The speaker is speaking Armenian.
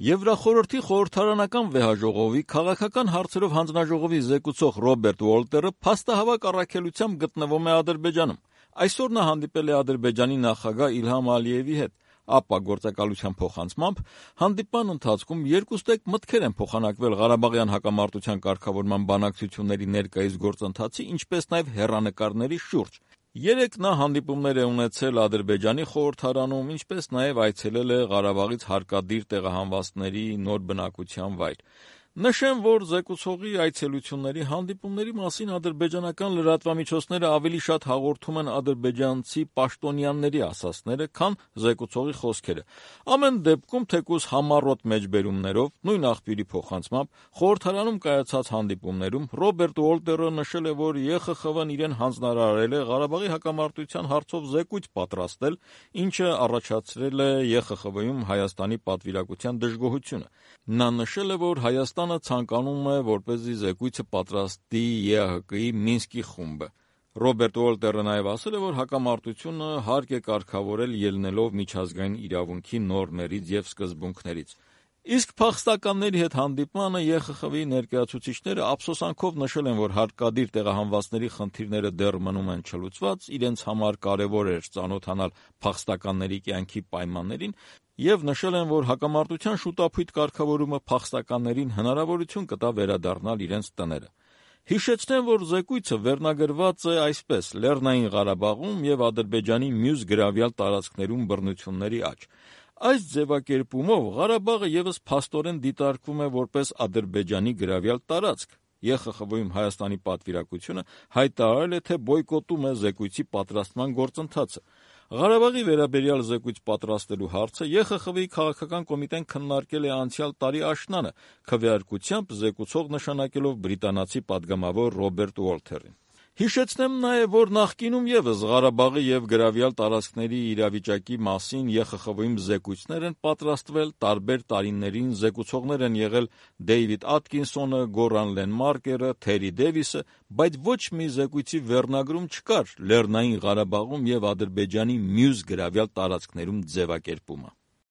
Եվրախորհրդի խորհրդարանական վեհաժողովի քաղաքական հարցերով հանձնաժողովի զեկուցող Ռոբերտ Ուոլտերը փաստահավաք առաքելությամբ գտնվում է Ադրբեջանում։ Այսօր նա հանդիպել է Ադրբեջանի նախագահ Իլհամ Ալիևի հետ։ ԱՊՊԱ գործակալության փոխանցմամբ հանդիպման ընթացքում երկուստեք մտքեր են փոխանակվել Ղարաբաղյան հակամարտության կարգավորման բանակցությունների ներկայիս գործընթացի, ինչպես նաև հեռանկարների շուրջ։ Երեկ նա հանդիպումներ է ունեցել Ադրբեջանի խորհրդարանում, ինչպես նաև այցելել է Ղարաբաղից հարկադիր տեղահանվածների նոր բնակության վայր։ Նշեմ, որ զեկուցողի այցելությունների հանդիպումների մասին ադրբեջանական լրատվամիջոցները ավելի շատ հաղորդում են ադրբեջանցի պաշտոնյաների ասածները, քան զեկուցողի խոսքերը։ Ամեն դեպքում, թեկուզ համառոտ մեջբերումներով, նույն աղբյուրի փոխանցմամբ, խորհրդարանում կայացած հանդիպումներում Ռոբերտ Ուոլտերը նշել է, որ ԵԽԽՎ-ն իրեն հանձնարարել է Ղարաբաղի հակամարտության հարցով զեկույց պատրաստել, ինչը առաջացրել է ԵԽԽՎ-ում Հայաստանի պատվիրակության դժգոհությունը։ Նա նշել է, որ Հայաստանը ցանկանում է, որպեսզի զեկույցը պատրաստի ԵԱՀԿ-ի Մինսկի խումբը։ Ռոբերտ Ուոլտերը նաև ասել է, որ հակամարտությունը հարկ է կարգավորել ելնելով միջազգային իրավունքի նորմերից և սկզբունքներից։ Իսկ փախստականների հետ հանդիպմանը ԵԽԽՎ-ի ներկայացուցիչները ափսոսանքով նշել են, որ հարկադիր տեղահանվածների խնդիրները դեռ մնում են չլուծված, իրենց համար կարևոր էր ծանոթանալ փախստականների կյանքի պայմաններին և նշել են, որ հակամարտության շուտափույթ կարգավորումը փախստականներին հնարավորություն կտա վերադառնալ իրենց տները։ Հիշեցնեմ, որ զեկույցը վերնագրված է այսպես. Լեռնային Ղարաբաղում և Ադրբեջանի մյուս գրավյալ տարածքներում բռնությունների աճ։ Այս ձևակերպումով Ղարաբաղը ևս փաստորեն դիտարկվում է որպես Ադրբեջանի գրավյալ տարածք։ ԵԽԽՎ-ում Հայաստանի պատվիրակությունը հայտարարել է, թե բոյկոտում է զեկույցի պատրաստման գործընթացը։ Ղարաբաղի վերաբերյալ զեկույց պատրաստելու հարցը ԵԽԽՎ-ի քաղաքական կոմիտեն քննարկել է անցյալ տարի աշնանը, քվեարկությամբ զեկուցող նշանակելով բրիտանացի պատգամավոր Ռոբերտ Ուոլթերին։ Հիշեցնեմ նաև, որ նախկինում ևս Ղարաբաղի և գրավյալ տարածքների իրավիճակի մասին ԵԽԽՎ-ում զեկույցներ են պատրաստվել, տարբեր տարիներին զեկուցողներ են եղել Դեյվիդ Աթկինսոնը, Գորան Լենմարկերը, Թերի Դեվիսը, բայց ոչ մի զեկույցի վերնագրում չկար Լեռնային Ղարաբաղում և Ադրբեջանի մյուս գրավյալ տարածքներում ձևակերպումը։